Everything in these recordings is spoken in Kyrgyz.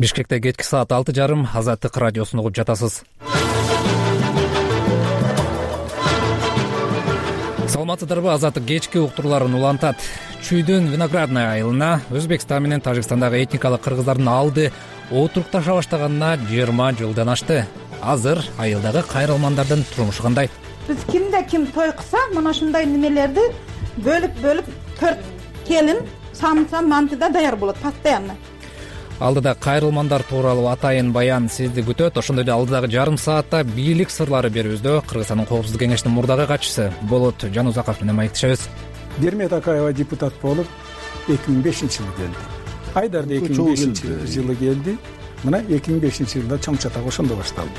Бишкекте кечки саат 6:30 Азаттык радиосун угуп жатасыз. Саламатсыздарбы? Азаттык кечки уктурууларын улантат. Чүйдүн Виноградная айылына Өзбекстан менен Тажикстандагы этникалык кыргыздардын алды отурукташа баштаганына 20 жылдан ашты. Азыр айылдагы кайрылмандардын турмушу кандай? Биз кимде ким той кылса, мына ушундай немелерди бөлүп 4 келин самса мантыда даяр болот постоянно. Алдыда кайрылмандар тууралуу атайын баян сизди күтөт. Ошондой эле алдыдагы жарым саатта бийлик сырлары берүүбүздө Кыргызстандын Коопсуздук кеңешинин мурдагы катчысы Болот Жанузаков менен маектешебиз. Дермет Акаева депутат болуп 2005-жылы келди. Айдар да 2005-жылы келди. Мына 2005-жылда чоң чатак ошондо башталды.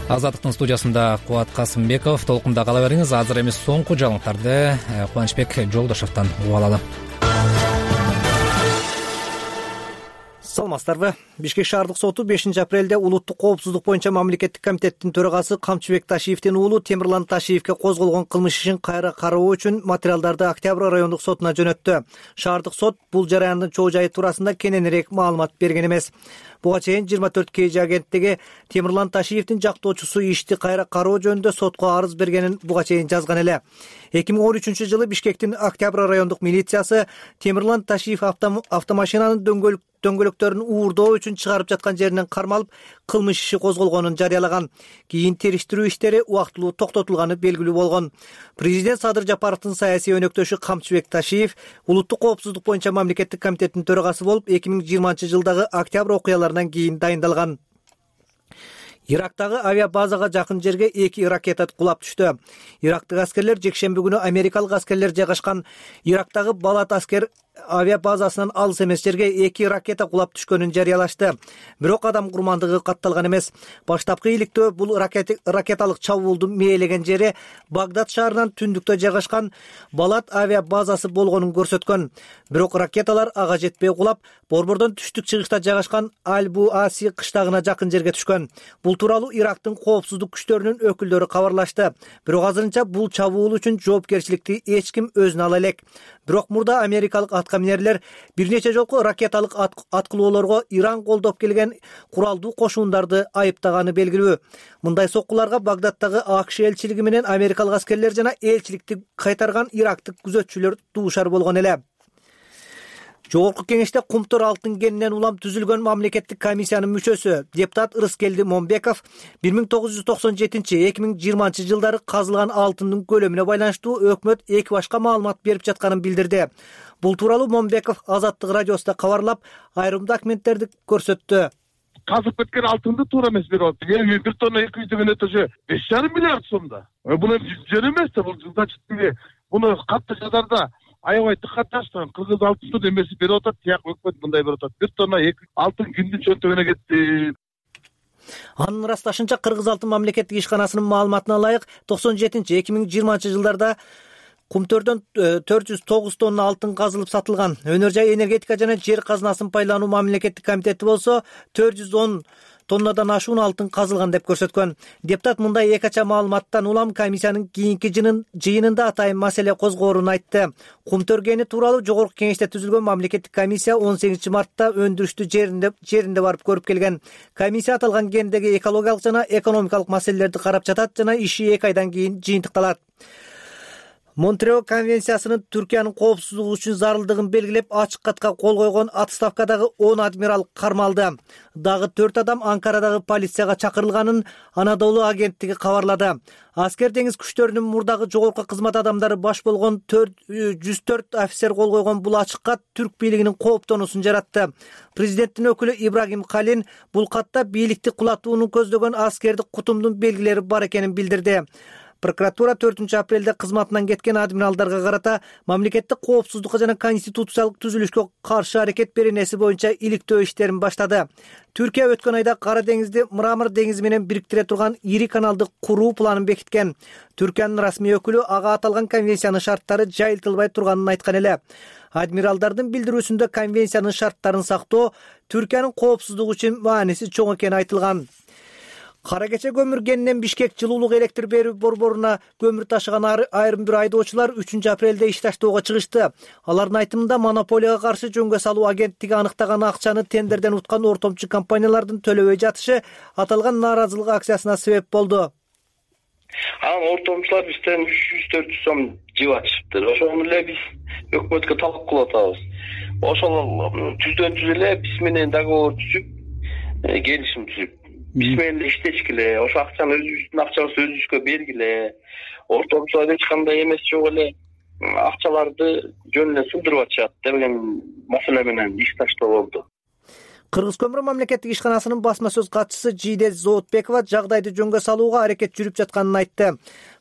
Азаттыктын студиясында Кубат Касымбеков. Толкунда кала бериңиз. Азыр эми соңку жаңылыктарды Кубанычбек Жолдошовдон угуп алалы. Саламатсыздарбы? Бишкек шаардык соту 5-апрелде улуттук коопсуздук боюнча мамлекеттик комитеттин төрагасы Камчыбек Ташиевдин уулу Темирлан Ташиевге козголгон кылмыш ишин кайра кароо үчүн материалдарды Октябрь райондук сотуна жөнөттү. Шаардык сот бул жараяндын чоо жайы туурасында кененирээк маалымат берген эмес. Буга чейин 24 KG агенттиги Темирлан Ташиевдин жактоочусу ишти кайра кароо жөнүндө сотко арыз бергенин буга чейин жазган эле. 2013-жылы Бишкектин Октябрь райондук милициясы Темирлан Ташиев автомашинанын дөңгөлөктөрүн уурдоо үчүн чыгарып жаткан жеринен кармалып, кылмыш иши козголгонун жарыялаган. Кийин териштирүү иштери убактылуу токтотулганы белгилүү болгон. Президент Садыр Жапаровдун саясий өнөктөшү Камчыбек Ташиев улуттук коопсуздук боюнча мамлекеттик комитеттин төрагасы болуп 2020-жылдагы октябрь окуяларынан кийин дайындалган. Ирактагы авиабазага жакын жерге 2 ракета кулап түштү. Ирактык аскерлер жекшемби күнү америкалык аскерлер жайгашкан Ирактагы Балат аскер авиабазасынан алыс эмес жерге 2 ракета кулап түшкөнүн жарыялашты. Бирок адам курмандыгы катталган эмес. Баштапкы иликтөө бул ракеталык чабуулдун мээлеген жери Багдад шаарынан түндүктө жайгашкан Балат авиабазасы болгонун көрсөткөн. Бирок ракеталар ага жетпей кулап, борбордон түштүк чыгышта жайгашкан Аль-Буаси кыштагына жакын жерге түшкөн. Бул тууралуу Ирактын коопсуздук күчтөрүнүн өкүлдөрү кабарлашты. Бирок азырынча бул чабуул үчүн жоопкерчиликти эч ким өзүнө ала элек. Бирок мурда америкалык аткаминерлер бир нече жолку ракеталык аткылоолорго Иран колдоп келген куралдуу кошундарды айыптаганы белгилүү. Мындай соккуларга Багдадтагы АКШ элчилиги менен америкалык аскерлер жана элчиликти кайтарган ирактык күзөтчүлөр дуушар болгон эле. Жогорку кеңеште Кумтур алтын кенинен улам түзүлгөн мамлекеттик комиссиянын мүчөсү депутат Ырыскелди Момбеков 1997-2020 жылдары казылган алтындын көлөмүнө байланыштуу өкмөт эки башка маалымат берип жатканын билдирди. Бул тууралуу Момбеков Азаттык радиосунда кабарлап, айрым документтерди көрсөттү. Казып кеткен алтынды туура эмес берип атты. 1 тонна 200 деген өтөсө 5,5 миллиард сомдо. Буну жөн эмес да, бул значит буну катты жадарда аябай тыккаташтан кыргыз алтындын эмеси берип атат, тияк өкмөт мындай берип атат. 1 тонна 2 алтын кимдин чөнтөгүнө кетти? Анын ырасташынча Кыргыз алтын мамлекеттик ишканасынын маалыматына ылайык 97-2020 жылдарда Кумтөрдөн 409 тонна алтын казылып сатылган. Өнөр жай энергетика жана жер казынасын пайдалануу мамлекеттик комитети болсо 410 тоннадан ашуун алтын казылган деп көрсөткөн. Депутат мындай экача маалыматтан улам комиссиянын кийинки жыйынында атайын маселе козгоорун айтты. Кумтөр кени тууралуу жогорку кеңеште түзүлгөн мамлекеттик комиссия 18 мартта өндүрүштү жеринде барып көрүп келген. Комиссия аталган кендеги экологиялык жана экономикалык маселелерди карап жатат жана иши 2 айдан кийин жыйынтыкталат. Монтрео конвенциясынын Түркиянын коопсуздугу үчүн зарылдыгын белгилеп, ачык катка кол койгон отставкадагы 10 адмирал кармалды. Дагы 4 адам Анкарадагы полицияга чакырылганын Анадолу агенттиги кабарлады. Аскер деңиз күчтөрүнүн мурдагы жогорку кызмат адамдары баш болгон 104 офицер кол койгон бул ачык кат түрк бийлигинин кооптонуусун жаратты. Президенттин өкүлү Ибрагим Калин бул катта бийликти кулатууну көздөгөн аскердик кутумдун белгилери бар экенин билдирди. Прокуратура 4-апрелде кызматынан кеткен адмиралдарга карата мамлекеттик коопсуздукка жана конституциялык түзүлүшкө каршы аракет беренеси боюнча иликтөө иштерин баштады. Түркия өткөн айда Кара деңизди Мрамор деңизи менен бириктире турган ири каналды куруу планын бекиткен. Түркиянын расмий өкүлү ага аталган конвенциянын шарттары жайылтылбай турганын айткан эле. Адмиралдардын билдирүүсүндө конвенциянын шарттарын сактоо Түркиянын коопсуздугу үчүн мааниси чоң экени айтылган. Кара кече көмүр кенинен Бишкек жылуулук электр берүү борборуна көмүр ташыган айрым бир айдоочулар 3 апрелде иш таштоого чыгышты. Алардын айтымында монополияга каршы жөнгө салуу агенттиги аныктаган акчаны тендерден уткан ортомчу компаниялардын төлөбөй жатышы аталган нааразылык акциясына себеп болду. Ортомчулар бизден 300-400 сом жеп атышыптыр. Ошону эле биз өкмөткө талап кылып атабыз. Ошол түздөн түз эле биз менен договор түзүп, келишим түзүп, биз менен иштешкиле, ошо акчаны өзүбүздүн акчабызды өзүбүзгө бергиле. Ортомчулар эч кандай эмес жок эле акчаларды жөн эле сындырып атышат деген маселе менен иш таштоо болду. Кыргыз көмүр мамлекеттик ишканасынын басма сөз катчысы Жийде Зоотбекова жагдайды жөнгө салууга аракет жүрүп жатканын айтты.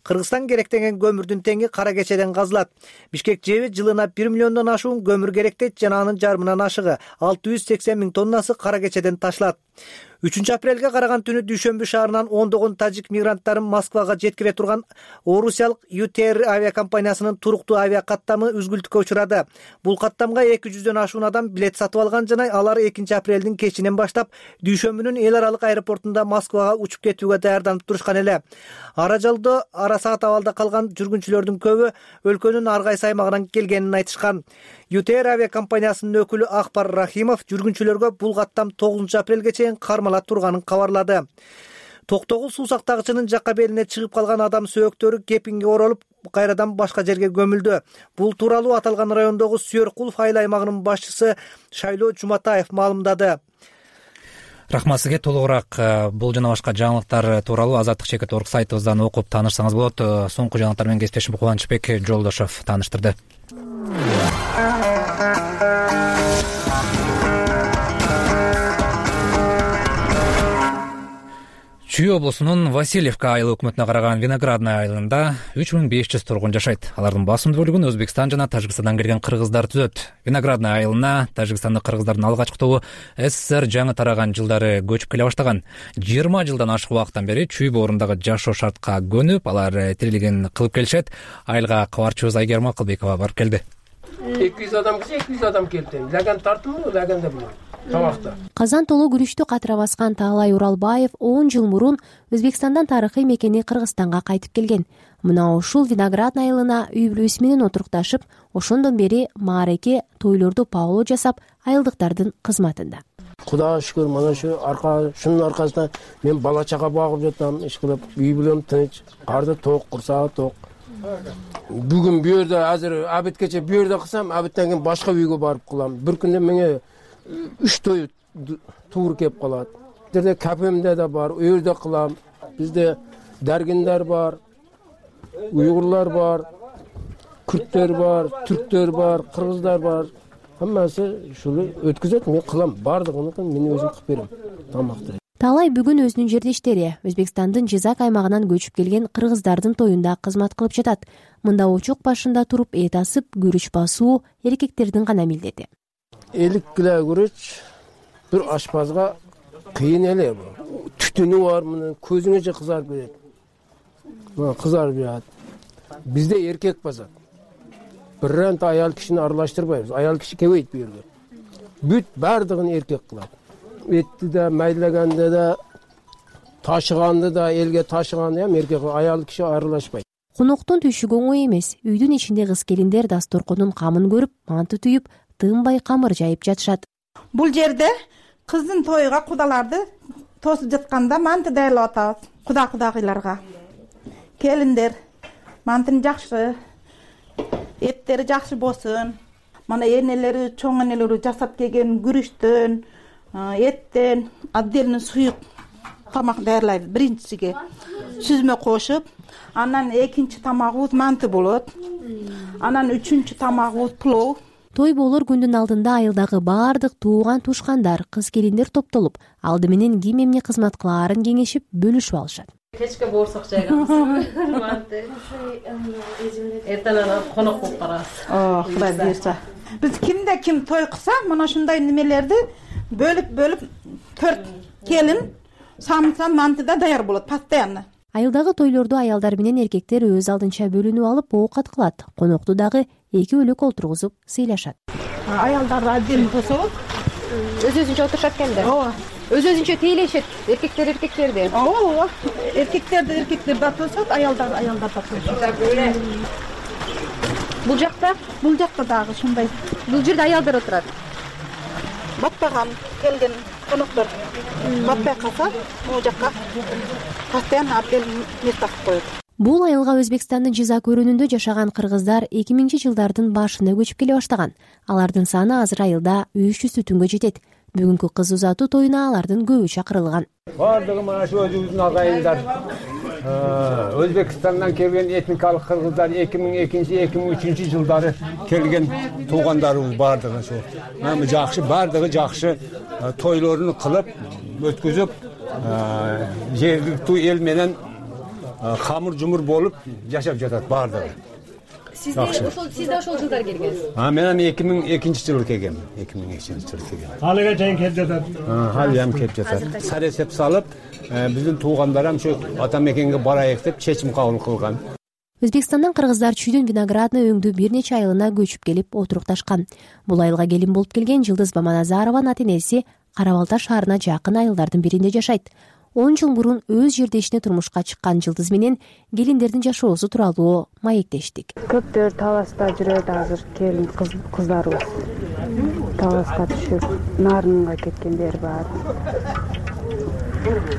Кыргызстан керектеген көмүрдүн теңи кара кечеден казылат. Бишкек ЖЭБи жылына 1 миллиондон ашуун көмүр керектейт жана анын жарымынан ашыгы 680 000 тоннасы кара кечеден ташылат. 3 апрелге караган түнү Дүйшөмбү шаарынан ондогон тажик мигранттарын Москвага жеткире турган орусиялык UTR авиакомпаниясынын туруктуу авиакаттамы үзгүлтүккө учурады. Бул каттамга 200дөн ашуун адам билет сатып алган жана алар 2 апрелдин кечинен баштап Дүйшөмбүнүн эл аралык аэропортунда Москвага учуп кетүүгө даярданып турушкан эле. Ара жолдо ара саат абалда калган жүргүнчүлөрдүн көбү өлкөнүн ар кайсы аймагынан келгенин айтышкан. UTR авиакомпаниясынын өкүлү Акбар Рахимов жүргүнчүлөргө бул каттам 9 апрелге чейин кармала турганын кабарлады. Токтогул суу сактагычынын жакка белине чыгып калган адам сөөктөрү кепиңге оролуп, кайрадан башка жерге көмүлдү. Бул тууралуу аталган райондогу Сүйөркулов айыл аймагынын башчысы Шайлоо Жуматаев маалымдады. Рахмат сизге. Толугураак бул жана башка жаңылыктар тууралуу Азаттык.org сайтыбыздан окуп таанышсаңыз болот. Соңку жаңылыктар менен кесиптешим Кубанычбек Жолдошов тааныштырды. Чүй облусунун Васильевка айыл өкмөтүнө караган Виноградная айылында 3500 тургун жашайт. Алардын басымдуу бөлүгүн Өзбекстан жана Тажикстандан келген кыргыздар түзөт. Виноградная айылына Тажикстандык кыргыздардын алгачкы тобу СССР жаңы тараган жылдары көчүп келе баштаган. 20 жылдан ашык убакыттан бери чүй боорундагы жашоо шартка көнүп, алар тирилигин кылып келишет. Айылга кабарчыбыз Айгерим Акылбекова барып келди. 200 адам киши 200 адам келди. Лаган тартымы, лаганда бул. Казан толуу күрүштү катыра баскан Таалай Уралбаев 10 жыл мурун Өзбекстандан тарыхый мекени Кыргызстанга кайтып келген. Мына ушул Виноградная айылына үй бүлөсү менен отурукташып, ошондон бери маареке, тойлорду паоло жасап, айылдыктардын кызматында. Кудайга шүгүр, мана шунун аркасында мен бала чага багып жатам, иш кылып, үй бүлөм тынч, карды ток, курсагы ток. Бүгүн бу жерде азыр абиткече бу жерде кылсам, абиттен кийин башка үйгө барып кылам. Бир күндө меңе 3 той туур кеп калат. Жерде кафемде да бар, у жерде кылам. Бизде даргиндар бар, уйгурлар бар, күрттөр бар, түрктөр бар, кыргыздар бар. Хаммасы ушуну өткөзөт, мен кылам. Бардыгын мен өзүм кылып берем. Тамакты. Таалай бүгүн өзүнүн жердештери Өзбекстандын Жизак аймагынан көчүп келген кыргыздардын тоюнда кызмат кылып жатат. Мында очок башында туруп эт асып, күрүч басуу эркектердин гана милдети. 50 кило күрүч бир ашпазга кыйын эле бул. Түтүнү бар, мына көзүңө кызарып берет. Кызарып жатат. Бизде эркек басат. Биринт аял кишини аралаштырбайбыз. Аял киши келбейт бу жерге. Бүт бардыгын эркек кылат. Этти да, майлаганды да, ташыганды да, элге ташыганды ham эркек, аял киши аралашпайт. Коноктун түшүгү оңой эмес. Үйдүн ичинде кыз-келиндер дасторконун камын көрүп, манты түйүп, тынбай камыр жайып жатышат. Бул жерде кыздын тойуга кудаларды тосуп жатканда манты даярлап атабыз. Кудагыйларга. Келиндер, мантын жакшы, эттери жакшы болсун. Мана энелери, чоң энелери жасап келген күрүчтөн, эттен отдельно суюк тамак даярлайбыз. Биринчисиге сүзмө кошуп, анан экинчи тамагыбыз манты болот. Анан үчүнчү тамагыбыз плов. Той болор күндүн алдында айылдагы баардык тууган тушкандар, кыз-келиндер топтолуп, алды менен ким эмне кызмат кылаарын кеңешип, бөлүшүп алышат. Кечке боорсок жайгабыз. Манты. Эртең конок болуп барабыз. Кудай буйрса. Биз кимде ким той кылса, мына ушундай немелерди бөлүп 4 келин самса мантыда даяр болот постоянно. Айылдагы тойлорду аялдар менен эркектер өз алдынча бөлүнүп алып оокат кылат. Конокту дагы 2 бөлөк олтургузуп сыйлашат. Аялдар отдельно тособуз. Өзүнчө отурушат экенде. Ооба. өзүнчө тейлешет эркектерди. Ооба. Эркектер датылышат, аялдар датылышат. Бул жакта дагы ушундай. бул жерде аялдар отурат. Батпаган келген коноктор батпай калса, могу жакка постоянно апел место кылып коет. Бул айылга Өзбекстандын Жизак өрүнүндө жашаган кыргыздар 2000-жылдардын башында көчүп келе баштаган. Алардын саны азыр айылда 300 түнгө жетет. Бүгүнкү кыз узатуу тоюна алардын көбү чакырылган. Бардыгы мына ушу өзүбүздүн агайындар. Өзбекстандан келген этникалык кыргыздар 2002-2003 жылдары келген туугандарыбыз бардыгы ушу. Жакшы, бардыгы жакшы тойлорун кылып, өткүзүп, жергиликтүү эл менен камыр-жумур болуп жашап жатат бардыгы. Сиз да ошол жылдар келгенсиз. Мен 2002-жылы келгем. 2002-жылы келгем. Алыга чейин келип жатат. Халым келип жатат. Саресеп салып, биздин туугандар ам ошо ата мекенге барайык деп чечим кабыл кылган. Өзбекстандан кыргыздар Чүйдүн виноградный өңдүү бир нече айылына көчүп келип отурукташкан. Бул айылга келин болуп келген Жылдыз Баманазарованын ата-энеси Карабалта шаарына жакын айылдардын биринде жашайт. 10 жыл мурун өз жердешине турмушка чыккан Жылдыз менен келиндердин жашоосу тууралуу маектештик. Көптөр Таласта жүрөт азыр келин кыздарыбыз. Таласка түшүп, Нарынга кеткендер бар.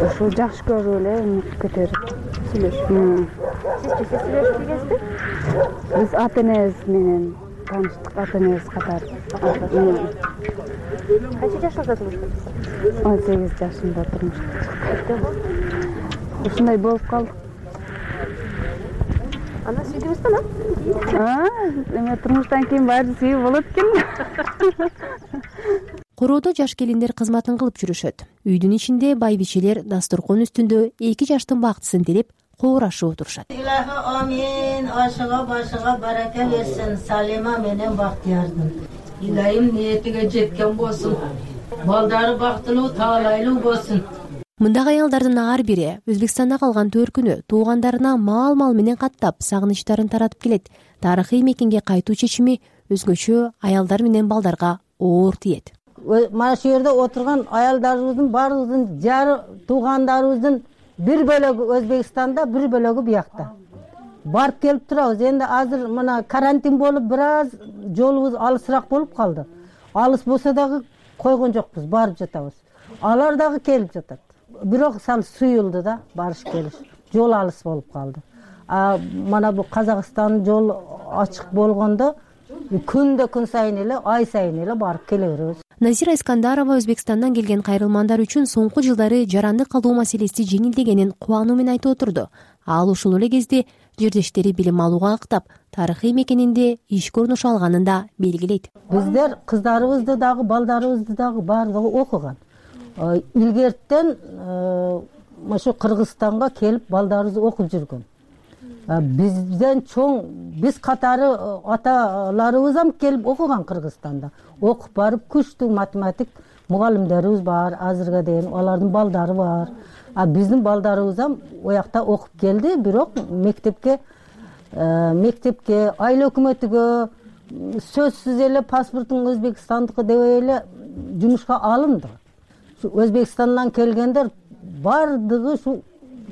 Ошо жакшы көрүп эле көтөрүп сүйлөшүп. Сиз сүйлөшүп келесизби? Биз ата-энебиз менен тааныштык, ата-энебиз катары. Канча жашыңызда турмушка чыктыңыз? 18 жашымда турмушка чыктым. Ушундай болуп калды. Анда сүйдүңүзбү? Эме турмуштан кийин баары сүйүү болот экен. Короодо жаш келиндер кызматын кылып жүрүшөт. Үйдүн ичинде байбичелер дасторкон үстүндө 2 жаштын бактысын тилеп коорашып отурушат. Илахы амин, ашыга башыга барака берсин, Салима менен Бактиярдын. Илайым ниетиге жеткен болсун. Балдары бактылуу, таалайлуу болсун. Мындагы аялдардын ар бири Өзбекстанда калган төркүнү туугандарына мал менен каттап, сагынычтарын таратып келет. Тарыхый мекенге кайтуу чечими өзгөчө аялдар менен балдарга оор тиет. Мына шу жерде отурган аялдарыбыздын баарыбыздын жары туугандарыбыздын бир бөлөгү Өзбекстанда, бир бөлөгү биякта. Барып келип турабыз. Энди азыр мына карантин болуп бир аз жолубуз алысыраак болуп калды. Алыс болсо дагы койгон жокпуз, барып жатабыз. Алар дагы келип жатат. Бирок сал суюлду да, барыш келиш. Жол алыс болуп калды. Мана бу Казакстан жол ачык болгондо күн сайын эле, ай сайын эле барып келе беребиз. Назира Искандарова Өзбекстандан келген кайрылмандар үчүн соңку жылдары жаранды калуу маселеси жеңилдегенин кубануу менен айтып отурду. Ал ушул эле кезде жердештери билим алууга ыктап, тарыхый мекенинде ишке орношо алганын да белгилейт. Биздер кыздарыбызды дагы, балдарыбызды дагы баардыгы окуган. Илгертен ошо Кыргызстанга келип балдарыбыз окуп жүргөн. Бизден чоң, биз катары аталарыбыз ам келип окуган Кыргызстанда. Окуп барып күчтүү математик мугалимдерибиз бар, азырга дейин алардын балдары бар. Биздин балдарыбыз ам оякта окуп келди, бирок мектепке, айыл өкмөтүгө сөзсүз эле паспортуң Өзбекстандыкы деп эле жумушка алынды. Өзбекстандан келгендер бардыгы ушу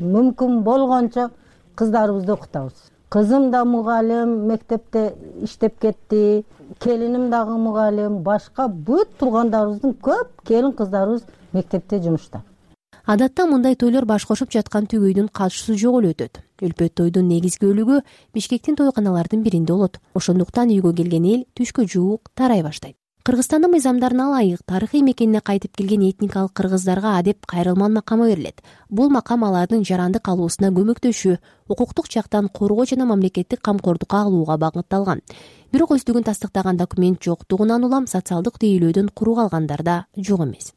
мүмкүн болгончо кыздарыбызды окутабыз. Кызым да мугалим, мектепте иштеп кетти, келиним дагы мугалим, башка бүт туугандарыбыздын көп келин кыздарыбыз мектепте жумушта. Адатта мындай тойлор баш кошуп жаткан түгөйдүн катышуусу жок эле өтөт. Өлпөт тойдун негизги бөлүгү Бишкектин тойканалардын биринде болот. Ошондуктан үйгө келген эл түшкө жуук тарай баштайт. Кыргызстандын мыйзамдарына ылайык тарыхый мекенине кайтып келген этникалык кыргыздарга адеп кайрылман макамы берилет. Бул макам алардын жаранды калуусуна көмөктөшүү, укуктук жактан коргоо жана мамлекеттик камкордукка алууга багытталган. Бирок өздүгүн тастыктаган документ жоктугунан улам социалдык тейлөөдөн куру калгандар да жок эмес.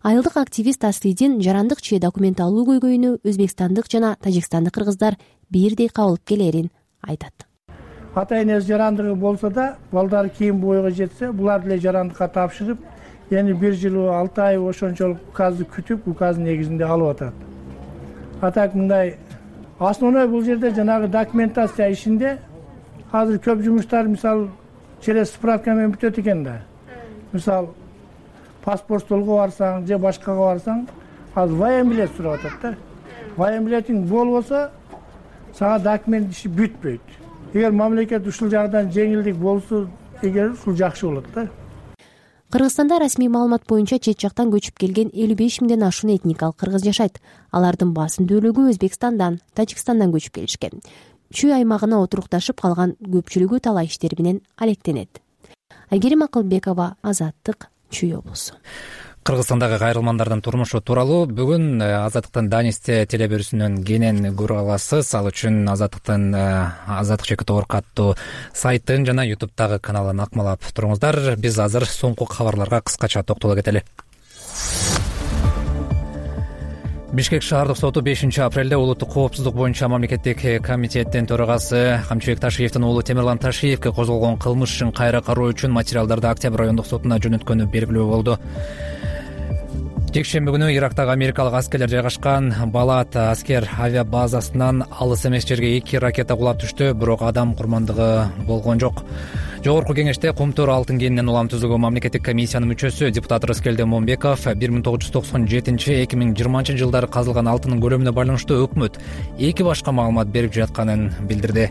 Айылдык активист Аслидин жарандык че документ алуу көйгөйүнү өзбекстандык жана тажикстандык кыргыздар бирдей кабыл келерин айтат. Ата-энеси жарандыгы болсо да, балдары кийин бойго жетсе, булар деле жарандыкка тапшырып, эми 1 жыл 6 ай ошончолук указды күтүп, указ негизинде алып атат. Атак мындай основной бул жерде жанагы документация ишинде азыр көп жумуштар мисалы через справка менен бүтөт экен да. Мисалы паспорт столго барсаң же башкага барсаң азыр военбилет сурап атат да. Военбилетиң болбосо сага документ иши бүтпөйт. Эгер мамлекет ушул жагдан жеңилдик болсо, эгер ушул жакшы болот да. Кыргызстанда расмий маалымат боюнча чет жактан көчүп келген 55 миңден ашуун этникалык кыргыз жашайт. Алардын басым бөлүгү Өзбекстандан, Тажикстандан көчүп келишкен. Чүй аймагына отурукташып калган көпчүлүгү талай иштер менен алектенет. Айгерим Акылбекова, Азаттык, Чүй облусу. Кыргызстандагы кайрылмандардын турмушу тууралуу бүгүн Азаттыктын Данисте телеберүүсүнөн кенен көрө аласыз. Ал үчүн Азаттык чекит орг аттуу сайттын жана YouTube'дагы каналын акмалап туруңуздар. Биз азыр соңку кабарларга кыскача токтоло кетели. Бишкек шаардык соту 5-апрелде улуттук коопсуздук боюнча мамлекеттик комитеттин төрагасы Камчыбек Ташиевдин уулу Темирлан Ташиевке козголгон кылмыш ишин кайра кароо үчүн материалдарды Октябрь райондук сотуна жөнөткөнү белгилүү болду. Жекшемби күнү Ирактагы америкалык аскерлер жайгашкан Балат аскер авиабазасынан алыс эмес жерге 2 ракета кулап түштү, бирок адам курмандыгы болгон жок. Жогорку кеңеште Кумтөр алтын кенинен улам түзүлгөн мамлекеттик комиссиянын мүчөсү депутат Рыскелди Момбеков 1997-2020 жылдары казылган алтындын көлөмүнө байланыштуу өкмөт 2 башка маалымат берип жатканын билдирди.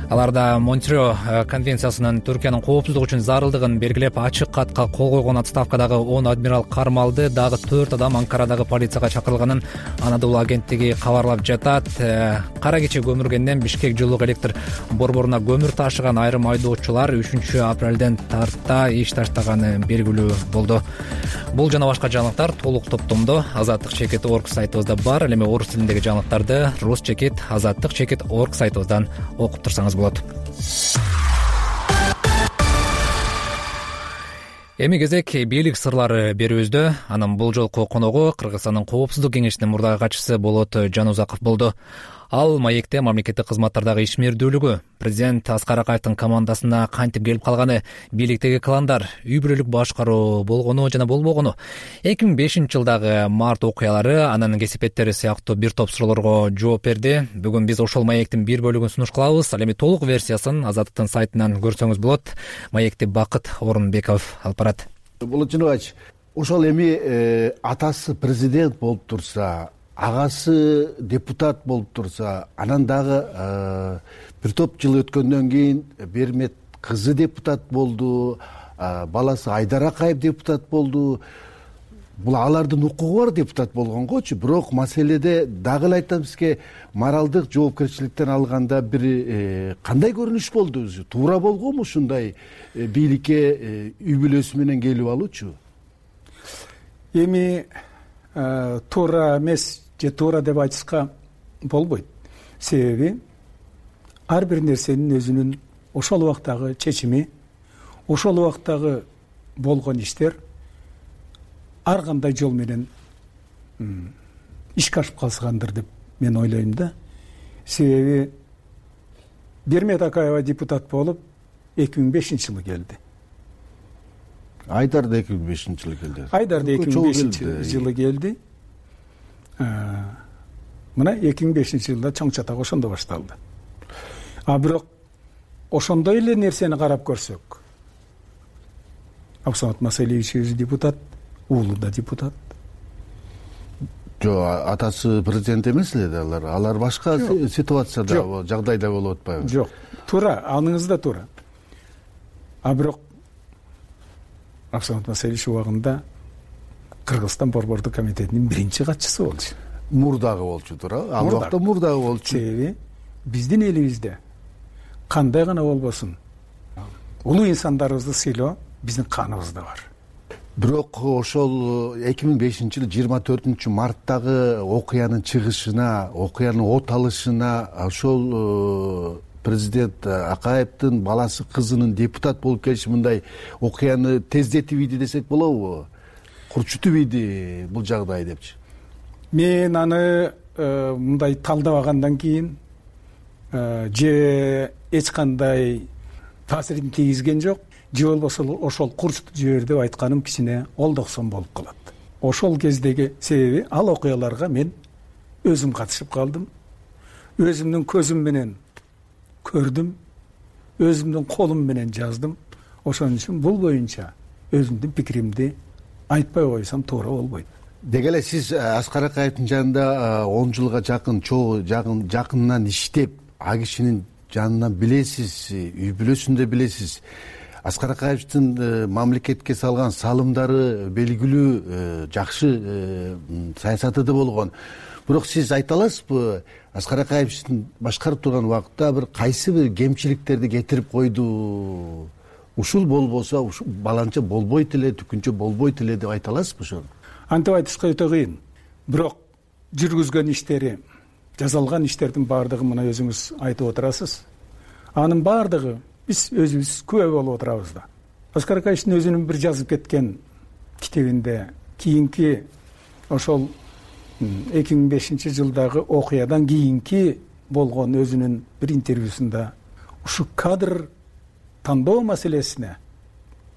Аларда Монтрео конвенциясынын Түркиянын коопсуздук үчүн зарылдыгын белгилеп, ачык катка кол койгон отставкадагы 10 адмирал кармалды, дагы 4 адам Анкарадагы полицияга чакырылганын Анадолу агенттиги кабарлап жатат. Кара кече көмүргенден Бишкек жылуу электр борборуна көмүр ташыган айрым айдоочулар 3-апрелден тарта иш таштаганы белгилүү болду. Бул жана башка жаңылыктар толук топтомдо Азаттык чекит орг сайтыбызда бар. Ал эми орус тилиндеги жаңылыктарды рус чекит Азаттык чекит орг сайтыбыздан окуп турсаңыз болот. Эми кезек бийлик сырлары берүүбүздө. Анын бул жолку коногу Кыргызстандын коопсуздук кеңешинин мурдагы катчысы Болот Жанузаков болду. Ал маекте мамлекеттик кызматтардагы ишмердүүлүгү, президент Аскар Акаевдин командасына кантип келип калганы, бийликтеги кландар, үй бүлөлүк башкаруу болгону жана болбогону, 2005 жылдагы март окуялары, анын кесипеттери сыяктуу бир топ суроолорго жооп берди. Бүгүн биз ошол маектин бир бөлүгүн сунуш кылабыз. Ал эми толук версиясын Азаттыктын сайтынан көрсөңүз болот. Маекти Бакыт Орунбеков алып барат. Болот Жанубаевич, ошол эми атасы президент болуп турса, агасы депутат болуп турса, анан дагы бир топ жыл өткөндөн кийин Бермет кызы депутат болду, баласы Айдар Акаев депутат болду. Бул алардын укугу бар депутат болгонгочу, бирок маселеде дагы эле айтам сизге, моралдык жоопкерчиликтен алганда бир кандай көрүнүш болду өзү? Туура болгонбу ушундай бийликке үй бүлөсү менен келип алуучу? Эми туура эмес же туура деп айтышка болбойт. Себеби ар бир нерсенин өзүнүн ошол убактагы чечими, ошол убактагы болгон иштер ар кандай жол менен ишке ашып калышкандыр деп мен ойлойм да. Себеби Бермет Акаева депутат болуп 2005-жылы келди. Айдар да 2005-жылы келди. Айдар да 2005-жылы келди. Мына 2005-жылда чоң чатак ошондо башталды. Бирок ошондой эле нерсени карап көрсөк, Абсамат Масалиевич депутат, уулу да депутат. Атасы президент эмес эле алар башка ситуацияда, жагдайда болуп атпайбы? Жок, туура, аныңыз да туура. Бирок Абсамат Масалиевич убагында Кыргызстан борбордук комитетинин биринчи катчысы болчу. Мурдагы болчу, туура. Ал убакта мурдагы болчу. Себеби биздин элибизде кандай гана болбосун, улуу инсандарыбызды сыйлоо биздин каныбызда бар. Бирок ошол 2005-жылы 24-марттагы окуянын чыгышына, окуянын от алышына ошол президент Акаевдин баласы кызынын депутат болуп келиши мындай окуяны тездетип ийди десек болобу? Курчутуп ийди бул жагдай депчи. Мен аны мындай талдабагандан кийин же эч кандай таасирин тийгизген жок, же болбосо ошол курчутуп жибер деп айтканым кичине олдоксон болуп калат. Ошол кездеги себеби ал окуяларга мен өзүм катышып калдым. Өзүмдүн көзүм менен көрдүм, өзүмдүн колум менен жаздым. Ошон үчүн бул боюнча өзүмдүн пикиримди айтпай койсом туура болбойт. Деги эле сиз Аскар Акаевдин жанында 10 жылга жакын жакынынан иштеп, а кишинин жанынан билесиз, үй бүлөсүндө билесиз. Аскар Акаевдин мамлекетке салган салымдары белгилүү, жакшы саясаты да болгон. Бирок сиз айта аласызбы, Аскар Акаевдин башкарып турган убакытта бир кайсы бир кемчиликтерди кетирип койду? Ушул болбосо, ушул баланча болбойт эле, түкүнчө болбойт эле деп айта аласызбы ошону? Антип айтышка өтө кыйын. Бирок жүргүзгөн иштери, жасалган иштердин баардыгы мына өзүңүз айтып отурасыз. Анын баардыгы биз өзүбүз күбө болуп отурабыз да. Аскар Акаевдин өзүнүн бир жазып кеткен китебинде кийинки ошол 2005 жылдагы окуядан кийинки болгон өзүнүн бир интервьюсунда ушу кадр тандоо маселесине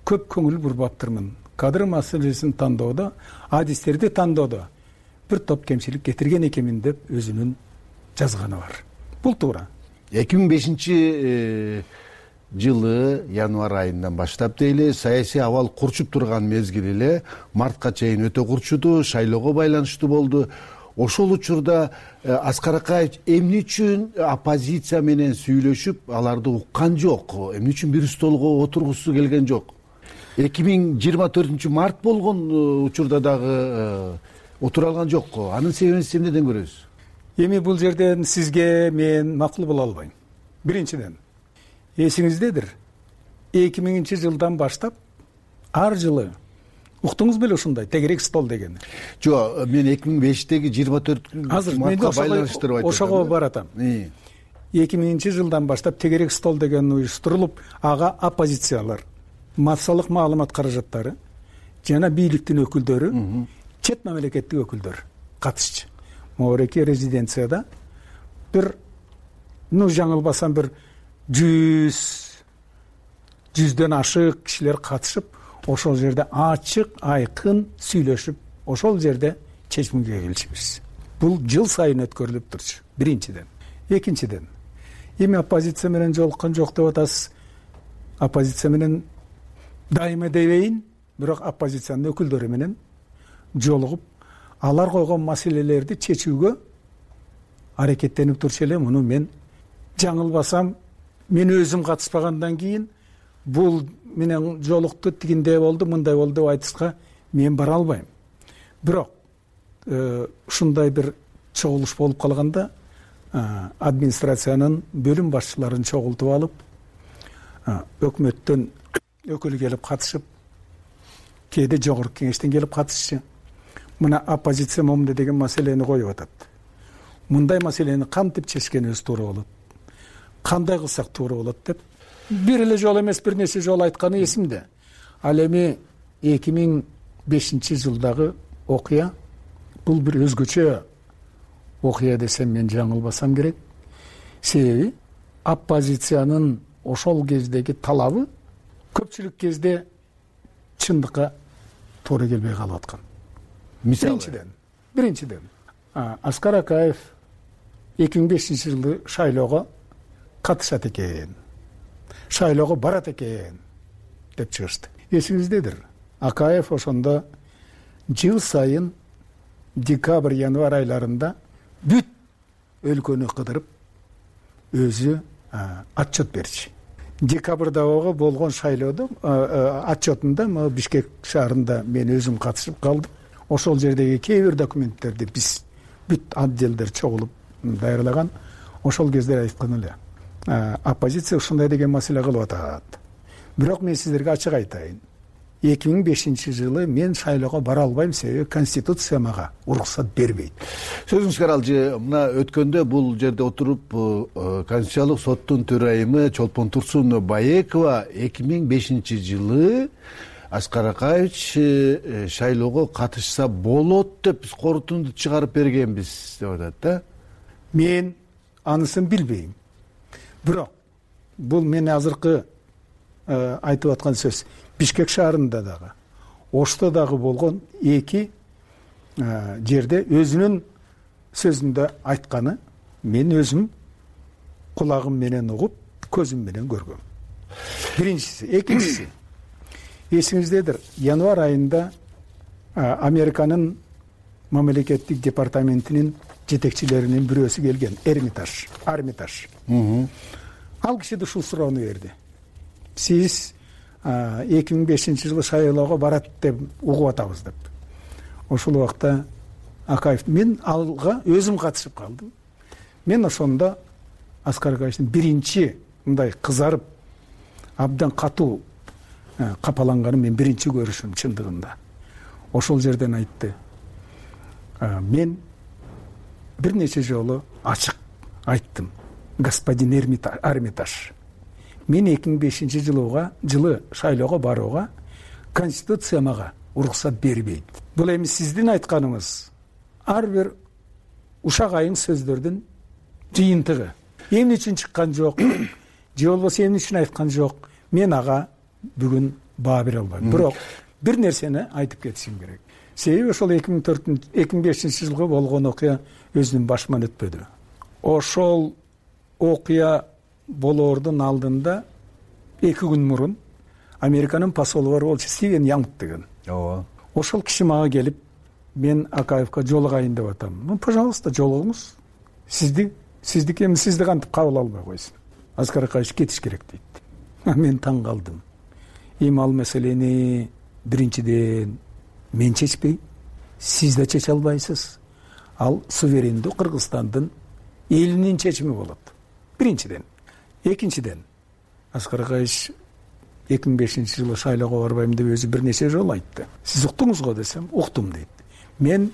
көп көңүл бурбаптырмын. Кадр маселесин тандоодо, адистерди тандоодо бир топ кемчилик кетирген экенмин деп өзүнүн жазганы бар. Бул туура. 2005 жылы январь айынан баштап дейли, саясий абал курчуп турган мезгил эле, мартка чейин өтө курчуду, шайлоого байланыштуу болду. Ошол учурда Аскар Акаев эмне үчүн оппозиция менен сүйлөшүп, аларды уккан жок, эмне үчүн бир столго отургусу келген жок? 2024 март болгон учурда дагы отура алган жок. Анын себебин сиз эмнеден көрөсүз? Эми бул жерден сизге мен макул боло албайм. Биринчиден, эсиңиздедир, 2000 жылдан баштап ар жылы уктуңуз беле ушундай тегерек стол дегени? Жок, мен 2005-теги 24 мартка байланыштырып айтам. Ошого баратам. 2000 жылдан баштап тегерек стол деген уюштурулуп, ага оппозициялар, массалык маалымат каражаттары жана бийликтин өкүлдөрү, чет мамлекеттик өкүлдөр катышчу. Моореки резиденцияда бир, жаңылбасам бир 100дөн ашык кишилер катышып, ошол жерде ачык, айкын сүйлөшүп, ошол жерде чечимге келишибиз. Бул жыл сайын өткөрүлүп турчу. Биринчиден. Экинчиден, эми оппозиция менен жолуккан жок деп атасыз. Оппозиция менен дайыма дебейин, бирок оппозициянын өкүлдөрү менен жолугуп, алар койгон маселелерди чечүүгө аракеттенип турчу эле. Муну мен жаңылбасам, мен өзүм катышпагандан кийин бул менен жолукту, тигиндей болду, мындай болду деп айтышка мен бара албайм. Бирок ушундай бир чогулуш болуп калганда, администрациянын бөлүм башчыларын чогултуп алып, өкмөттөн өкүл келип катышып, кээде жогорку кеңештен келип катышчу. Мына оппозиция момундай деген маселени коюп атат. Мындай маселени кантип чечкенибиз туура болот, кандай кылсак туура болот деп бир эле жолу эмес, бир нече жолу айтканы эсимде. Ал эми 2005 жылдагы окуя бул бир өзгөчө окуя десем мен жаңылбасам керек. Себеби оппозициянын ошол кездеги талабы көпчүлүк кезде чындыкка туура келбей калып аткан. Биринчиден, Аскар Акаев 2005 жылы шайлоого катышат экен, шайлоого барат экен деп чыгышты. Эсиңиздедир, Акаев ошондо жыл сайын декабрь, январь айларында бүт өлкөнү кыдырып өзү отчет берчү. Декабрда болгон шайлоодо отчетунда Бишкек шаарында мен өзүм катышып калдым. Ошол жердеги кээ бир документтерди биз бүт отделдер чогулуп даярлаган. Ошол кезде айткан эле, оппозиция ушундай деген маселе кылып атат. Бирок мен сиздерге ачык айтайын, 2005 жылы мен шайлоого бара албайм, себеби конституция мага уруксат бербейт. Сөзүңүзгө аралжы, мына өткөндө бул жерде отуруп Конституциялык соттун төрайымы Чолпон Турсун Баекова 2005 жылы Аскар Акаевич шайлоого катышса болот деп биз корутунду чыгарып бергенбиз деп атат да. Мен анысын билбейм. Бирок бул мен азыркы айтып аткан сөз Бишкек шаарында дагы, Ошто дагы болгон эки жерде өзүнүн сөзүндө айтканы мен өзүм кулагым менен угуп, көзүм менен көргөм. Биринчиси. Экинчиси, эсиңиздедир, январь айында Американын мамлекеттик департаментинин жетекчилеринин бирөөсү келген, Армитаж. Ал киши да ушул суроону берди. Сиз 2005-жылы шайлоого барат деп угуп атабыз деп. Ошол убакта Акаев, мен алга өзүм катышып калдым. Мен ошондо Аскар Акаевдин биринчи мындай кызарып, абдан катуу капаланганын мен биринчи көрүшүм чындыгында. Ошол жерден айтты. Мен бир нече жолу ачык айттым. Господин Армитаж, мен 2005-жылы шайлоого барууга Конституция мага уруксат бербейт. Бул эми сиздин айтканыңыз ар бир ушак айың сөздөрдүн жыйынтыгы. Эмне үчүн чыккан жок, же болбосо эмне үчүн айткан жок, мен ага бүгүн баа бере албайм. Бирок бир нерсени айтып кетишим керек. Себеби ошол 2005-жылгы болгон окуя өзүнүн башыман өтпөдү. Ошол окуя болоордун алдында 2 күн мурун Американын посолу бар болчу, Стивен Янг деген. Ошол киши мага келип, мен Акаевка жолугайын деп атам. Пожалуйста, жолугуңуз. Сиздики эми сизди кантип кабыл албай койсун. Аскар Акаевич кетиш керек дейт. Мен таң калдым. Эми ал маселени биринчиден мен чечпейм, сиз да чече албайсыз. Ал суверендүү Кыргызстандын элинин чечими болот. Биринчиден. Экинчиден, Аскар Акаевич 2005-жылы шайлоого барбайм деп өзү бир нече жолу айтты. Сиз уктуңуз го десем, уктум дейт. Мен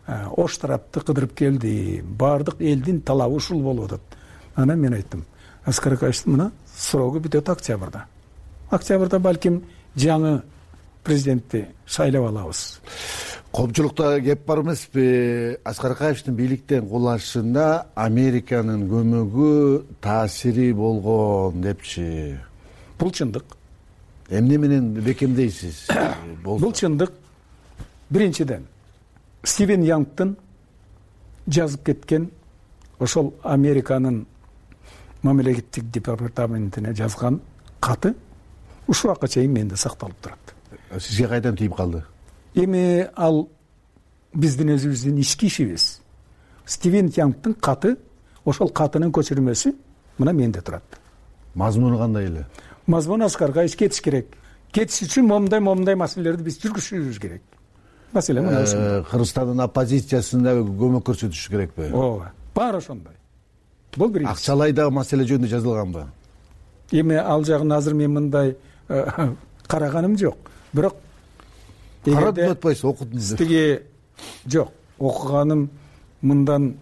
ош тарапты кыдырып келдим. Бардык элдин талабы ушул болуп атат. Анан мен айттым, Аскар Акаевичтин мына срогу бүтөт октябрда. Октябрда балким жаңы президентти шайлап алабыз. Коопчулукта кеп бар эмеспи? Аскар Акаевичтин бийликтен кулашында Американын көмөгү, таасири болгон депчи. Бул чындык. Эмне менен бекемдейсиз? Бул чындык. Биринчиден, Стивен Янгтын жазып кеткен ошол Американын мамлекеттик департаментине жазган каты ушул убакка чейин менде сакталып турат. Сизге кайдан тийип калды? Эми ал биздин өзүбүздүн ички ишибиз. Стивен Янгтын каты, ошол катынын көчүрмөсү мына менде турат. Мазмуну кандай эле? Мазмуну Аскар Акаевич кетиш керек. Кетиш үчүн момундай маселелерди биз жүргүзүшүбүз керек. Маселе мына ушундай. Кыргызстандын оппозициясында көмөк көрсөтүш керекпи? Ооба, баары ошондой. Бул биринчи. Акчалай дагы маселе жөнүндө жазылганбы? Эми ал жагын азыр мен мындай караганым жок. Бирок карадым атпайсыз, окудум. Тиги жок, окуганым мындан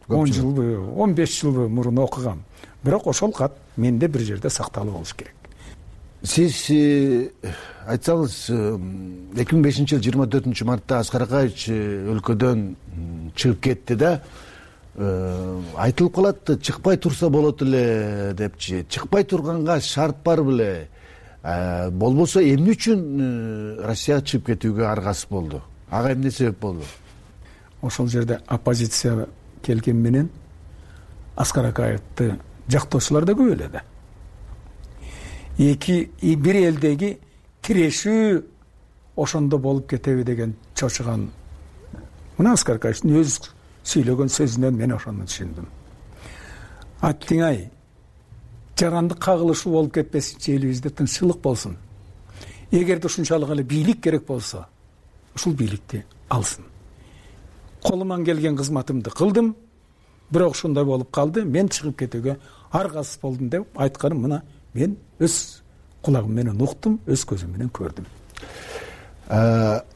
10 жылбы, 15 жылбы мурун окугам. Бирок ошол кат менде бир жерде сакталып болуш керек. Сиз айтсаңыз, 2005-жылы 24-мартта Аскар Акаевич өлкөдөн чыгып кетти да, айтылып калат, чыкпай турса болот эле депчи. Чыкпай турганга шарт бар беле? Болбосо эмне үчүн Россияга чыгып кетүүгө аргасыз болду? Ага эмне себеп болду? Ошол жерде оппозиция келген менен Аскар Акаевди жактоочулар да көп эле да. Бир элдеги тирешүү ошондо болуп кетеби деген чочуган. Мына Аскар Акаевичтин өз сүйлөгөн сөзүнөн мен ошону түшүндүм. Аттиңай, жарандык кагылышуу болуп кетпесинчи, элибизде тынччылык болсун. Эгерде ушунчалык эле бийлик керек болсо, ушул бийликти алсын. Колуман келген кызматымды кылдым, бирок ушундай болуп калды, мен чыгып кетүүгө аргасыз болдум деп айтканым мына мен өз кулагым менен уктум, өз көзүм менен көрдүм.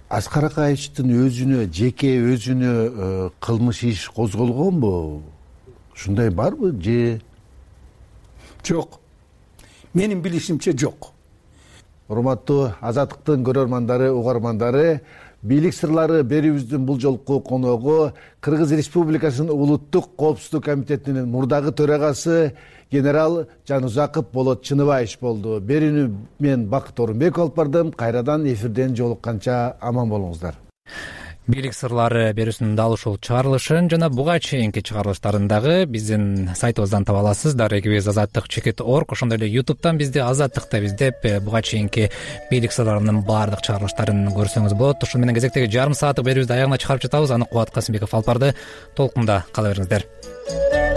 Аскар Акаевичтин өзүнө, жеке өзүнө кылмыш иш козголгонбу? Ушундай барбы же? Жок. Менин билишимче жок. Урматтуу Азаттыктын көрөрмандары, угармандары, бийлик сырлары берүүбүздүн бул жолку коногу Кыргыз Республикасынын Улуттук коопсуздук комитетинин мурдагы төрагасы генерал Жанузаков Болот Чыныбаевич болду. Берүүнү мен Бакыт Орунбеков алып бардым. Кайрадан эфирден жолукканча аман болуңуздар. бийлик сырлары берүүсүнүн дал ушул чыгарылышын жана буга чейинки чыгарылыштарын дагы биздин сайтыбыздан таба аласыз. Дарегибиз azattik.org. Ошондой эле YouTube'дан бизди Азаттык деп издеп, буга чейинки бийлик сырларынын баардык чыгарылыштарын көрсөңүз болот. Ушул менен кезектеги жарым сааттык берүүбүздү аягына чыгарып жатабыз. Аныкболот Касымбеков алып барды. Толкунда кала бериңиздер.